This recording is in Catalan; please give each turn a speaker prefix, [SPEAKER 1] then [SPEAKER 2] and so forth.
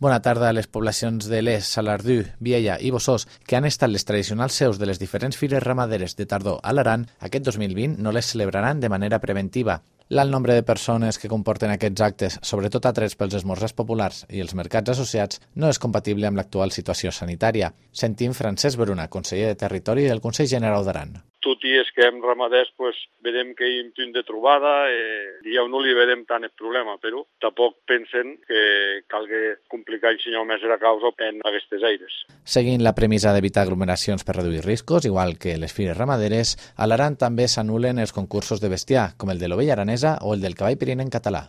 [SPEAKER 1] Bona tarda a les poblacions de Les, Salardú, Viella i Bossós, que han estat les tradicionals seus de les diferents fires ramaderes de tardor a l'Aran, aquest 2020 no les celebraran de manera preventiva. L'alt nombre de persones que comporten aquests actes, sobretot atrets pels esmorzars populars i els mercats associats, no és compatible amb l'actual situació sanitària. Sentim Francesc Bruna, conseller de Territori del Consell General d'Aran.
[SPEAKER 2] Tot i és que hem ramaders, vedem que hi ha un punt de trobada, ja no li vedem tant el problema, però tampoc pensen que calgui complicar el senyor més la causa en aquestes aires.
[SPEAKER 1] Seguint la premissa d'evitar aglomeracions per reduir riscos, igual que les fires ramaderes, a l'Aran també s'anulen els concursos de bestiar, com el de l'ovella aranesa o el del cavall pirinenc català.